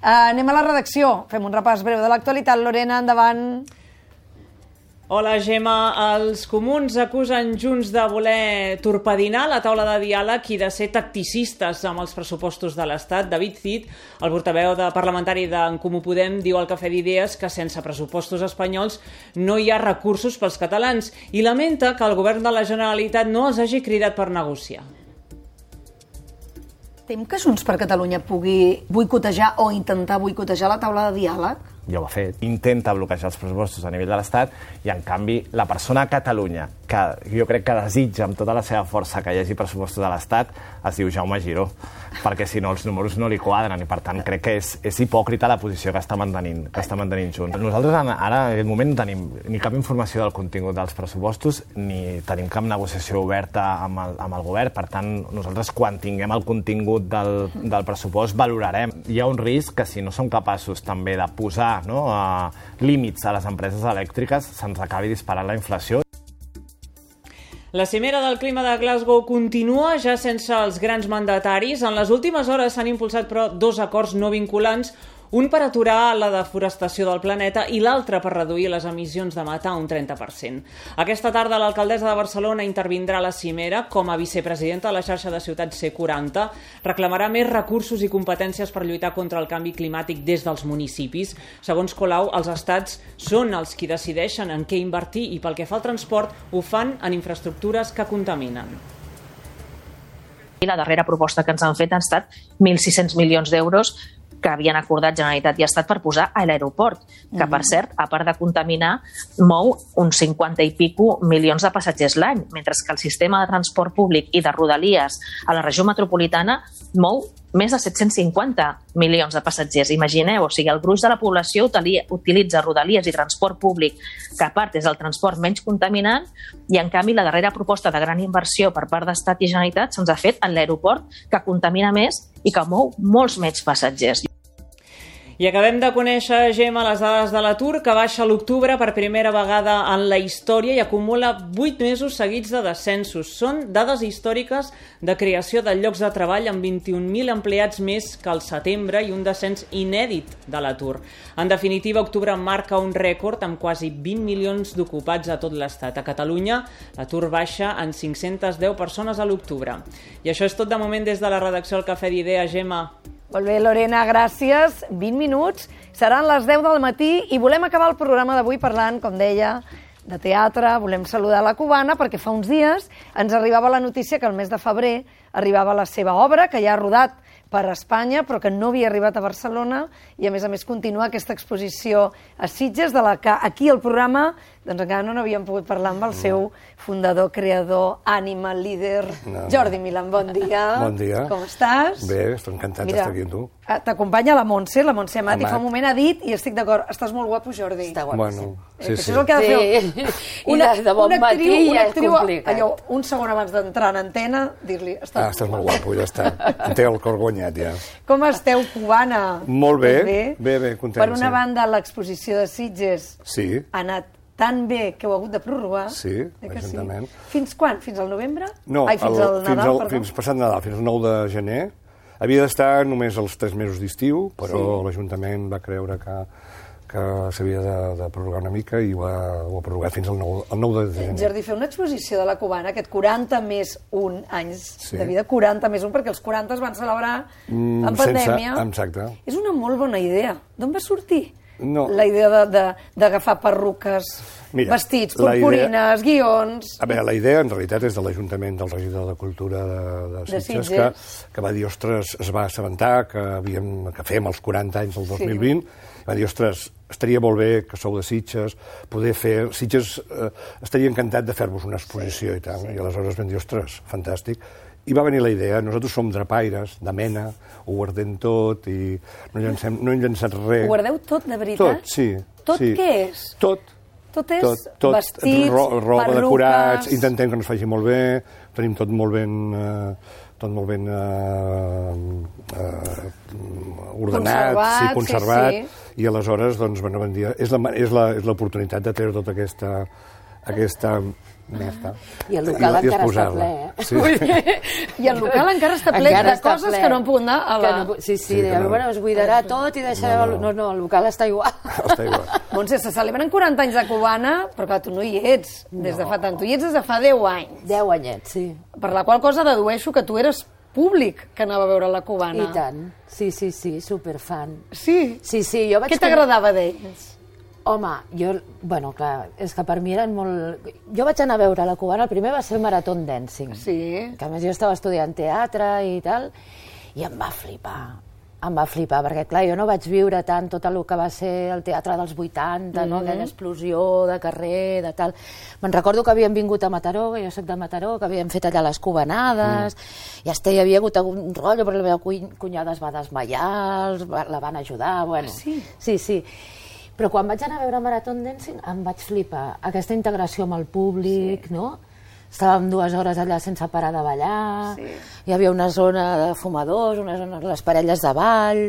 Anem a la redacció. Fem un repàs breu de l'actualitat. Lorena, endavant. Hola, Gemma. Els comuns acusen Junts de voler torpedinar la taula de diàleg i de ser tacticistes amb els pressupostos de l'Estat. David Cid, el portaveu parlamentari d'en Comú Podem, diu al Cafè d'Idees que sense pressupostos espanyols no hi ha recursos pels catalans i lamenta que el govern de la Generalitat no els hagi cridat per negociar. Tem que Junts per Catalunya pugui boicotejar o intentar boicotejar la taula de diàleg? Ja ho ha fet. Intenta bloquejar els pressupostos a nivell de l'Estat i, en canvi, la persona a Catalunya que jo crec que desitja amb tota la seva força que hi hagi pressupostos de l'Estat es diu Jaume Giró, perquè si no els números no li quadren i, per tant, crec que és hipòcrita la posició que està mantenint Junts. Nosaltres ara, en aquest moment, no tenim ni cap informació del contingut dels pressupostos ni tenim cap negociació oberta amb el govern. Per tant, nosaltres, quan tinguem el contingut del pressupost, valorarem. Hi ha un risc que, si no som capaços també de posar límits a les empreses elèctriques, se'ns acabi disparant la inflació. La cimera del clima de Glasgow continua ja sense els grans mandataris. En les últimes hores s'han impulsat, però, 2 acords no vinculants, un per aturar la deforestació del planeta i l'altre per reduir les emissions de metà un 30%. Aquesta tarda l'alcaldessa de Barcelona intervindrà a la cimera com a vicepresidenta de la xarxa de ciutats C40. Reclamarà més recursos i competències per lluitar contra el canvi climàtic des dels municipis. Segons Colau, els estats són els qui decideixen en què invertir i pel que fa al transport ho fan en infraestructures que contaminen. I la darrera proposta que ens han fet han estat 1.600 milions d'euros que havien acordat Generalitat i Estat per posar a l'aeroport, que, per cert, a part de contaminar, mou uns 50 i pico milions de passatgers l'any, mentre que el sistema de transport públic i de rodalies a la regió metropolitana mou més de 750 milions de passatgers. Imagineu, o sigui, el gruix de la població utilitza rodalies i transport públic, que a part és el transport menys contaminant, i en canvi la darrera proposta de gran inversió per part d'Estat i Generalitat se'ns ha fet en l'aeroport, que contamina més i que mou molts menys passatgers. I acabem de conèixer, Gemma, les dades de l'atur, que baixa a l'octubre per primera vegada en la història i acumula 8 mesos seguits de descensos. Són dades històriques de creació de llocs de treball amb 21.000 empleats més que al setembre i un descens inèdit de l'atur. En definitiva, octubre marca un rècord amb quasi 20 milions d'ocupats a tot l'Estat. A Catalunya, l'atur baixa en 510 persones a l'octubre. I això és tot de moment des de la redacció del Cafè d'Idees, Gemma. Molt bé, Lorena, gràcies. 20 minuts, seran les 10 del matí i volem acabar el programa d'avui parlant, com deia, de teatre. Volem saludar la Cubana perquè fa uns dies ens arribava la notícia que el mes de febrer arribava la seva obra, que ja ha rodat per Espanya, però que no havia arribat a Barcelona i, a més, continua aquesta exposició a Sitges, de la que aquí al programa doncs encara no n'havíem pogut parlar amb el seu fundador, creador, ànima, líder, Jordi Milán. Bon dia. Bon dia. Com estàs? Bé, estic encantat d'estar aquí amb tu. T'acompanya la Montse Amat, i fa un moment ha dit, i estic d'acord, estàs molt guapo, Jordi. Està guapíssim. Bueno, sí. Això és el que ha de fer. Una de bon matí ja és complicat. Allò, un segon abans d'entrar en antena, dir-li... Estàs molt guapo, ja està. Em té el cor guanyat, ja. Com esteu, Cubana? Molt bé, bé, content. Per una banda, l'exposició de Sitges ha anat tan bé que heu hagut de prorrogar. Sí, l'Ajuntament. Fins quan? Fins al novembre? No, fins al Nadal, perdó. Fins passat Nadal, fins al 9 de gener. Havia d'estar només els 3 mesos d'estiu, però l'Ajuntament va creure que s'havia de prorrogar una mica i ho ha prorrogat fins al 9 de gener. Jordi, fer una exposició de la Cubana, aquest 40 més 1 anys de vida, 40 més 1, perquè els 40 es van celebrar en pandèmia. Exacte. És una molt bona idea. D'on va sortir? No. La idea d'agafar perruques, vestits, purpurines, guions... A veure, la idea en realitat és de l'Ajuntament, del regidor de Cultura de Sitges, que va dir, ostres, es va assabentar que fem els 40 anys del 2020, va dir, ostres, estaria molt bé que sou de Sitges, poder fer... Sitges estaria encantat de fer-vos una exposició i tal, i aleshores vam dir, ostres, fantàstic. I va venir la idea, nosaltres som drapaires, de mena, ho guardem tot i no hem llançat res. Ho guardeu tot, de veritat? Tot, sí. Tot què és? Tot. Tot és vestits, roba, perruques... decorats, intentem que ens faci molt bé, tenim tot molt ben ordenat, conservat, i aleshores, doncs, bueno, és l'oportunitat de treure tota aquesta I el local encara està ple, I el local encara està ple de coses que no han pogut anar a la... Sí, bueno, es buidarà tot i deixareu... No, el local està igual. Montse, se celebren 40 anys de Cubana, però clar, tu no hi ets des de fa tant. Tu hi ets des de fa 10 anys. 10 anyets, sí. Per la qual cosa dedueixo que tu eres públic que anava a veure la Cubana. I tant. Sí, superfan. Sí? Sí, jo vaig... Què t'agradava d'ells? Home, bueno, clar, és que per mi eren molt... Jo vaig anar a veure la Cubana, el primer va ser el Marathon Dancing. Sí. Que a més jo estava estudiant teatre i tal, i em va flipar, perquè clar, jo no vaig viure tant tot el que va ser el teatre dels 80, no? Aquella explosió de carrer, de tal... Me'n recordo que havíem vingut a Mataró, que jo soc de Mataró, que havíem fet allà les cubanades, i hi havia hagut un rotllo, però la meva cunyada es va desmaiar, la van ajudar, bueno... Sí. Però quan vaig anar a veure Marathon Dancing em vaig flipar. Aquesta integració amb el públic, no? Estàvem 2 hores allà sense parar de ballar, hi havia una zona de fumadors, una zona de les parelles de ball,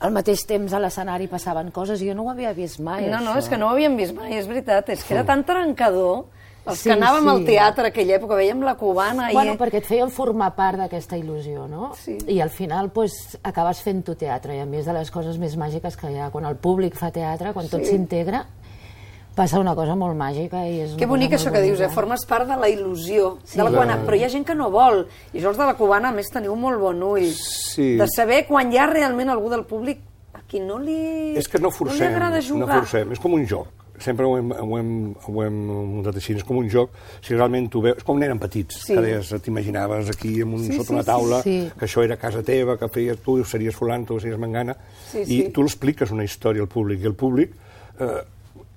al mateix temps a l'escenari passaven coses i jo no ho havia vist mai, això. No, és que no ho havíem vist mai, és veritat, és que era tan trencador. Els que anàvem al teatre aquella època, veiem la Cubana... Bueno, perquè et feien formar part d'aquesta il·lusió, no? Sí. I al final acabes fent tu teatre, i a mi és de les coses més màgiques que hi ha. Quan el públic fa teatre, quan tot s'integra, passa una cosa molt màgica i és... Que bonic això que dius, formes part de la il·lusió de la Cubana, però hi ha gent que no vol, i això els de la Cubana, a més, teniu molt bon ull, de saber quan hi ha realment algú del públic a qui no li agrada jugar. No forcem, és com un joc. Sempre ho hem muntat així, és com un joc, si realment tu veus, és com nens petits, que deies, t'imaginaves aquí sota una taula, que això era casa teva, que feies tu, series fulant, tu series mangana, i tu l'expliques una història al públic, i el públic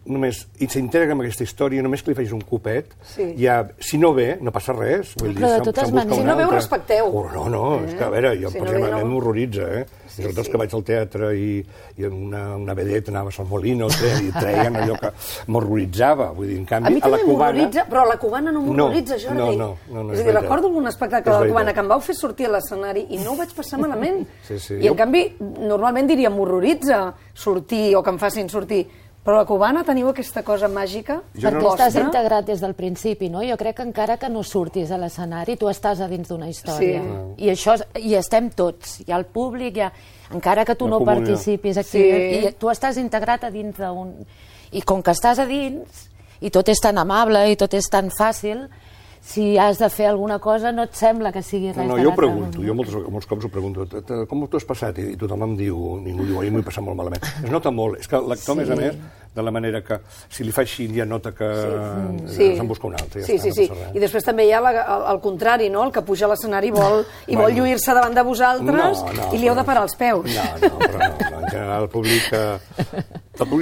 només s'integra en aquesta història, només que li facis un copet, ja, si no ve, no passa res. Però de totes maneres... Si no ve, ho respecteu. No, és que, a veure, jo personalment m'horroritza, sobretot que vaig al teatre i una vedeta anava a San Molino i treien allò que m'horroritzava. Vull dir, en canvi, a la Cubana... m'horroritza, però a la Cubana no m'horroritza, Jordi. No, és a dir, recordo un espectacle de la Cubana que em vau fer sortir a l'escenari i no ho vaig passar malament. I en canvi, normalment diria m'horroritza sortir o que em facin sortir. Però a la Cubana teniu aquesta cosa màgica? Perquè estàs integrat des del principi, no? Jo crec que encara que no surtis a l'escenari, tu estàs a dins d'una història. I això, i estem tots. Hi ha el públic, encara que tu no participis aquí, i tu estàs integrat a dins d'un... I com que estàs a dins, i tot és tan amable, i tot és tan fàcil, si has de fer alguna cosa no et sembla que sigui res de l'altre. No, jo ho pregunto, jo molts cops ho pregunto, com t'ho has passat? I tothom em diu, ningú diu, m'ho he passat molt malament. Es nota molt, és que l'actor, a més, de la manera que, si li fa així, ja nota que se'n busca un altre. Sí. I després també hi ha el contrari, no? El que puja a l'escenari i vol lluir-se davant de vosaltres i li heu de parar els peus. No, en general el públic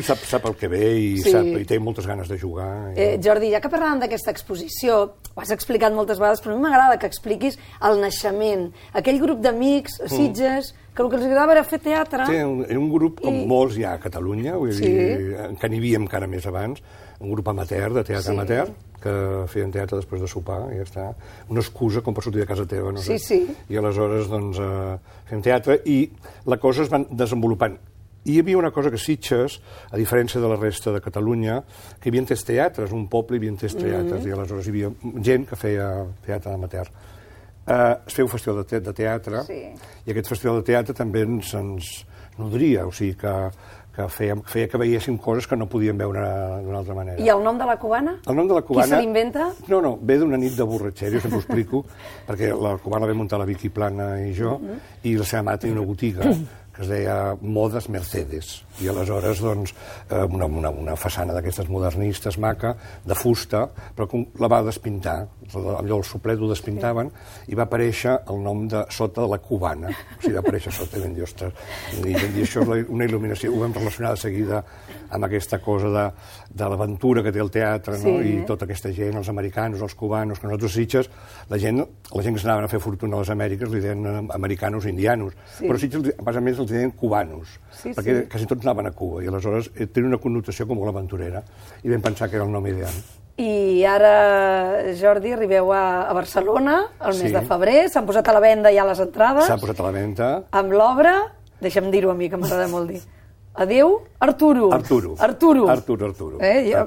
sap el que ve i té moltes ganes de jugar. Jordi, ja que parlàvem d'aquesta exposició, ho has explicat moltes vegades, però a mi m'agrada que expliquis el naixement, aquell grup d'amics a Sitges, que el que els agradava era fer teatre. Sí, era un grup com molts hi ha a Catalunya, vull dir, que n'hi havia encara més abans, un grup amateur, de teatre amateur, que feien teatre després de sopar, i ja està. Una excusa com per sortir de casa teva, no sé. I aleshores, doncs, fèiem teatre, i la cosa es va desenvolupant. I hi havia una cosa que Sitges, a diferència de la resta de Catalunya, que hi havia tres teatres, un poble hi havia tres teatres, i aleshores hi havia gent que feia teatre amateur. Es feia un festival de teatre, i aquest festival de teatre també ens nodria, o sigui que feia que veiéssim coses que no podíem veure d'una altra manera. I el nom de la Cubana? El nom de la Cubana... Qui se l'inventa? No, ve d'una nit de borratxera, jo sempre ho explico, perquè la Cubana la vam muntar la Vicky Plana i jo, i la seva mare tenia una botiga que es deia Modes Mercedes, i aleshores, doncs, una façana d'aquestes modernistes maca, de fusta, però la va despintar, allò el suplet ho despintaven, i va aparèixer el nom de sota de la Cubana, o sigui, va aparèixer sota, i vam dir, ostres, això és una il·luminació, ho vam relacionar de seguida amb aquesta cosa de l'aventura que té el teatre, no? I tota aquesta gent, els americanos, els cubanos, que nosaltres Sitges, la gent que s'anaven a fer fortuna a les Amèriques li deien americanos o indianos, però Sitges, a més, els deien cubanos, perquè quasi tots anaven a Cuba, i aleshores tenia una connotació com molt aventurera, i vam pensar que era el nom ideal. I ara, Jordi, arribeu a Barcelona, el mes de febrer, s'han posat a la venda ja les entrades. S'han posat a la venda. Amb l'obra, deixa'm dir-ho a mi, que m'agrada molt dir, Adéu, Arturo. Arturo.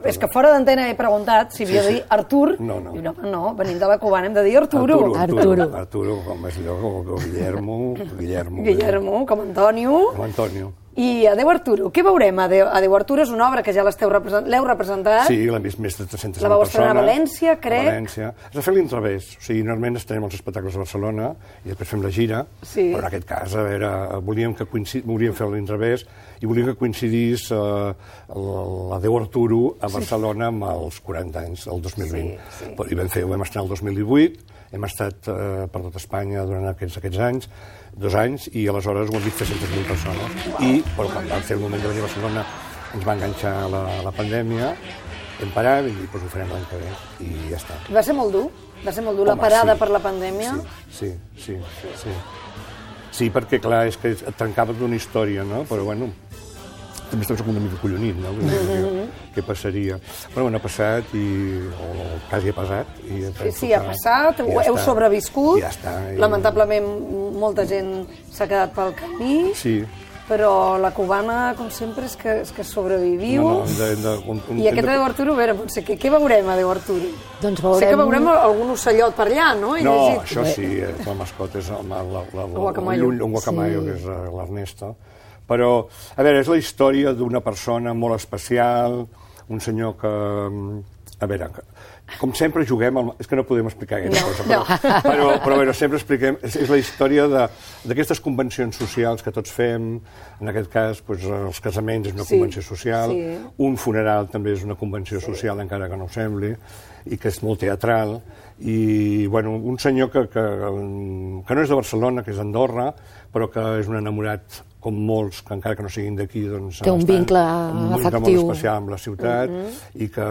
És que fora d'antena he preguntat si havia de dir Artur. No. No, venim de la cubana, hem de dir Arturo. Arturo, com és allò, com Guillermo. Guillermo, com Antonio. Com Antonio. I Adéu, Arturo. Què veurem? Adéu, Arturo és una obra que ja l'heu representat. Sí, l'hem vist més de 300 persones. La vau estrenar a València, crec. A València. Es va fer l'inrevés. O sigui, normalment estrenem els espectacles a Barcelona i després fem la gira, però en aquest cas, a veure, volíem fer l'inrevés i volíem que coincidís l'Adéu Arturo a Barcelona amb els 40 anys, el 2020. I ho vam estrenar el 2018, hem estat per tot Espanya durant aquests anys, 2 anys, i aleshores ho han vist 300.000 persones. Però quan vam fer el moment de venir a Barcelona ens va enganxar la pandèmia, hem parat i ho farem l'any que ve, i ja està. Va ser molt dur? Va ser molt dur la parada per la pandèmia? Sí. Sí, perquè clar, és que et trencava d'una història, no? Però bueno, també estava una mica collonit, no? Què passaria? Però bueno, ha passat o quasi ha passat. Sí, ha passat, heu sobreviscut. Ja està. Lamentablement molta gent s'ha quedat pel camí. Sí. Però la cubana, com sempre, és que sobreviviu. I aquest Adéu Arturo, a veure, potser, què veurem, Adéu Arturo? Doncs veurem... Sé que veurem algun ocellot per allà, no? No, això sí, la mascota és un guacamayo, que és l'Ernesto. Però, a veure, és la història d'una persona molt especial, un senyor que... A veure, com sempre juguem... És que no podem explicar aquesta cosa, però sempre expliquem... És la història d'aquestes convencions socials que tots fem. En aquest cas, els casaments és una convenció social, un funeral també és una convenció social, encara que no ho sembli, i que és molt teatral. I, bueno, un senyor que no és de Barcelona, que és d'Andorra, però que és un enamorat com molts, que encara que no siguin d'aquí, doncs... Té un vincle afectiu. Molt especial amb la ciutat i que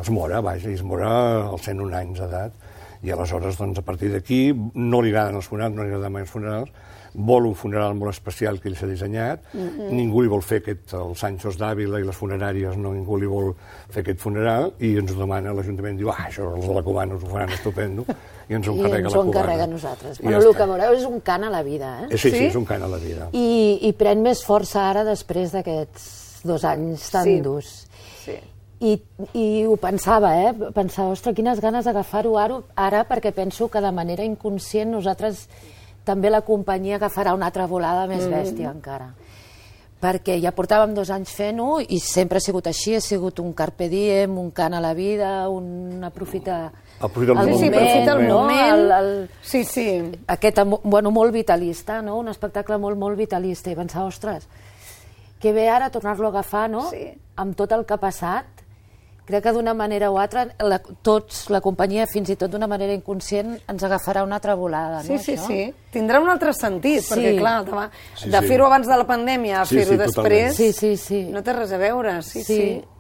es mora, vaja, i es mora als 101 anys d'edat. I aleshores, doncs, a partir d'aquí, no li agraden els funerals, no li agraden mai els funerals, vol un funeral molt especial que ell s'ha dissenyat, ningú li vol fer els Sanchos d'Àvila i les funeràries, ningú li vol fer aquest funeral, i ens ho demana l'Ajuntament, diu, això els de la Cubana us ho faran estupendo, i ens ho encarrega la Cubana. I ens ho encarrega a nosaltres. Bueno, el que veureu és un cant a la vida, eh? Sí, és un cant a la vida. I pren més força ara després d'aquests 2 anys tan durs. Sí. I ho pensava, Pensava, ostres, quines ganes d'agafar-ho ara, perquè penso que de manera inconscient nosaltres també la companyia agafarà una altra volada més bèstia encara. Perquè ja portàvem 2 anys fent-ho i sempre ha sigut així, ha sigut un carpe diem, un cant a la vida, un aprofitar el moment. Sí. Aquest, molt vitalista, no? Un espectacle molt vitalista. I pensar, ostres, que bé ara tornar-lo a agafar, no? Amb tot el que ha passat. Crec que d'una manera o altra, la companyia, fins i tot d'una manera inconscient, ens agafarà una altra volada, no? Sí. Tindrà un altre sentit, perquè, clar, de fer-ho abans de la pandèmia a fer-ho després, no té res a veure,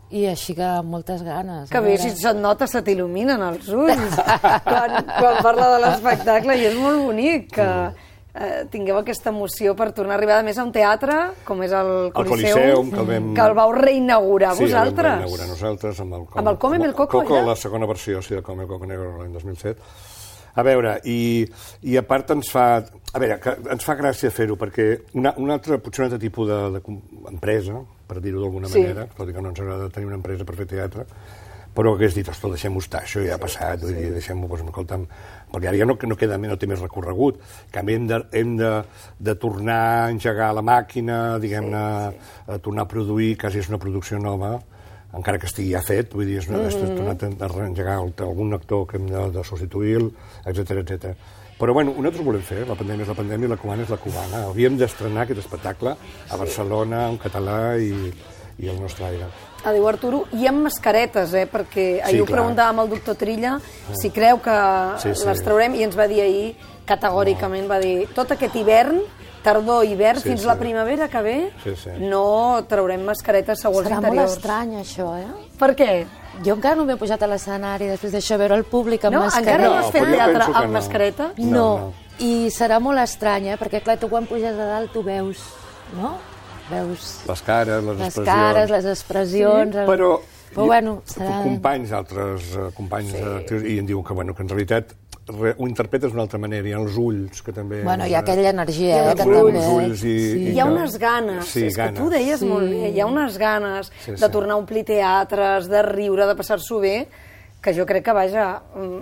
I així que moltes ganes. Que bé, si se't nota, se t'il·luminen els ulls quan parla de l'espectacle, i és molt bonic que tingueu aquesta emoció per tornar a arribar, a més, a un teatre, com és el Coliseum, que el vau reinaugurar vosaltres. Sí, el vam reinaugurar nosaltres amb el Come Mel Coco, ja? La segona versió, del Come Coco Negro l'any 2007. A veure, i a part ens fa gràcia fer-ho, perquè potser un altre tipus d'empresa, per dir-ho d'alguna manera, tot i que no ens agrada tenir una empresa per fer teatre, però hagués dit, ostres, deixem-ho estar, això ja ha passat, deixem-ho, escolta'm, perquè ara ja no té més recorregut. En canvi, hem de tornar a engegar la màquina, diguem-ne, a tornar a produir, quasi és una producció nova, encara que estigui ja fet, vull dir, és tornat a reengegar algun actor que hem de substituir, etc. Però, bueno, nosaltres ho volem fer, la pandèmia és la pandèmia i la cubana és la cubana. Havíem d'estrenar aquest espectacle a Barcelona, en català i al nostre aire. Adéu, Arturo, i amb mascaretes, perquè ahir ho preguntàvem al doctor Trilla, si creu que les traurem, i ens va dir ahir, categòricament, va dir, tot aquest hivern, tardor, hivern, fins la primavera que ve, no traurem mascaretes segons interiors. Serà molt estrany, això, Per què? Jo encara no m'he pujat a l'escenari després d'això, veure el públic amb mascareta. Encara no has fet teatre amb mascareta? No, i serà molt estrany, perquè clar, tu quan puges a dalt tu veus, no? Veus les cares, les expressions... Però bueno, serà... altres companys actius, i em diuen que en realitat ho interpretes d'una altra manera. Hi ha els ulls, que també... Bueno, hi ha aquella energia, que també... ulls Hi ha unes ganes, és que tu ho deies molt bé, hi ha unes ganes de tornar a omplir teatres, de riure, de passar-s'ho bé, que jo crec que, vaja,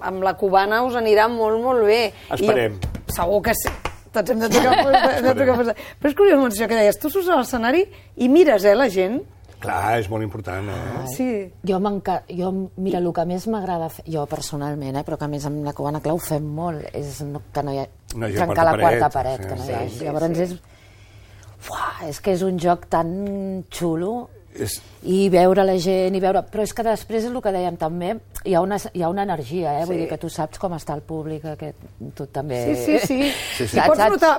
amb la cubana us anirà molt, molt bé. Esperem. Segur que sí. Tots hem de tocar. Però és curiós, això que deies, tu surts a l'escenari i mires, la gent. Clar, és molt important, Sí. Jo, mira, el que més m'agrada fer, jo personalment, però que a més amb la Cubana Clau ho fem molt, és que no hi ha trencar la quarta paret, que no hi hagi. Llavors és que és un joc tan xulo, i veure la gent, però és que després és el que dèiem també, hi ha una energia, vull dir que tu saps com està el públic, que tu també... Sí.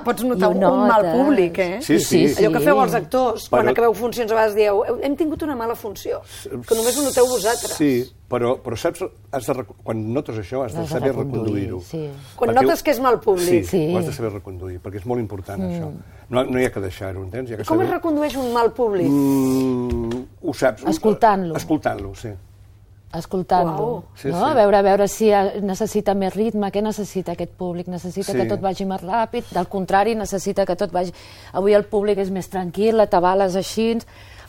Pots notar un mal públic, Sí. Allò que feu els actors, quan acabeu funcions a vegades dieu hem tingut una mala funció, que només ho noteu vosaltres. Sí, però saps, quan notes això has de saber reconduir-ho. Quan notes que és mal públic. Sí, ho has de saber reconduir, perquè és molt important això. No hi ha que deixar-ho, entens? Com es recondueix un mal públic? Ho saps. Escoltant-lo. Escoltant-lo, sí. Escoltant-lo, no? A veure si necessita més ritme, què necessita aquest públic? Necessita que tot vagi més ràpid, del contrari, necessita que tot vagi... Avui el públic és més tranquil, la tabala és així,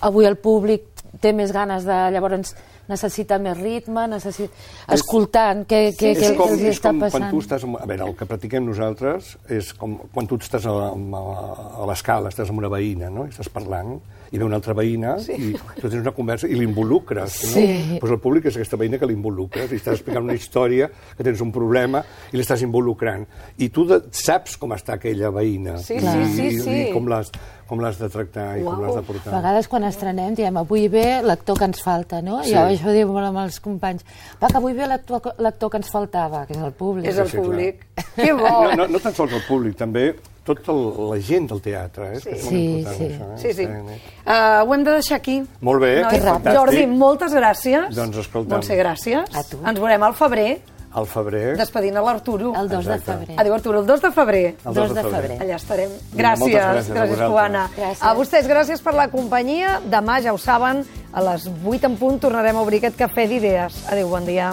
avui el públic té més ganes de... Llavors necessita més ritme, escoltant què els està passant. Quan tu estàs... A veure, el que practiquem nosaltres és com quan tu estàs a l'escala, estàs amb una veïna, no? I estàs parlant, i ve una altra veïna, i tu tens una conversa i l'involucres, no? Doncs el públic és aquesta veïna que l'involucres, i estàs explicant una història, que tens un problema, i l'estàs involucrant. I tu saps com està aquella veïna, i com l'has de tractar i com l'has de portar. A vegades quan estrenem diem, avui ve l'actor que ens falta, no? I això ho diu molt amb els companys. Va, que avui ve l'actor que ens faltava, que és el públic. És el públic. Que bo! No tan sols el públic, també tota la gent del teatre, que és molt important, això. Sí. Ho hem de deixar aquí. Molt bé, fantàstic. Jordi, moltes gràcies. Doncs escolta'm. Montse, gràcies. A tu. Ens veurem al febrer. Al febrer. Despedint a l'Arturo. El 2 de febrer. Adéu, Arturo, el 2 de febrer. El 2 de febrer. Allà estarem. Gràcies, Cubana. A vostès, gràcies per la companyia. Demà, ja ho saben, a les 8 en punt tornarem a obrir aquest cafè d'idees. Adéu, bon dia.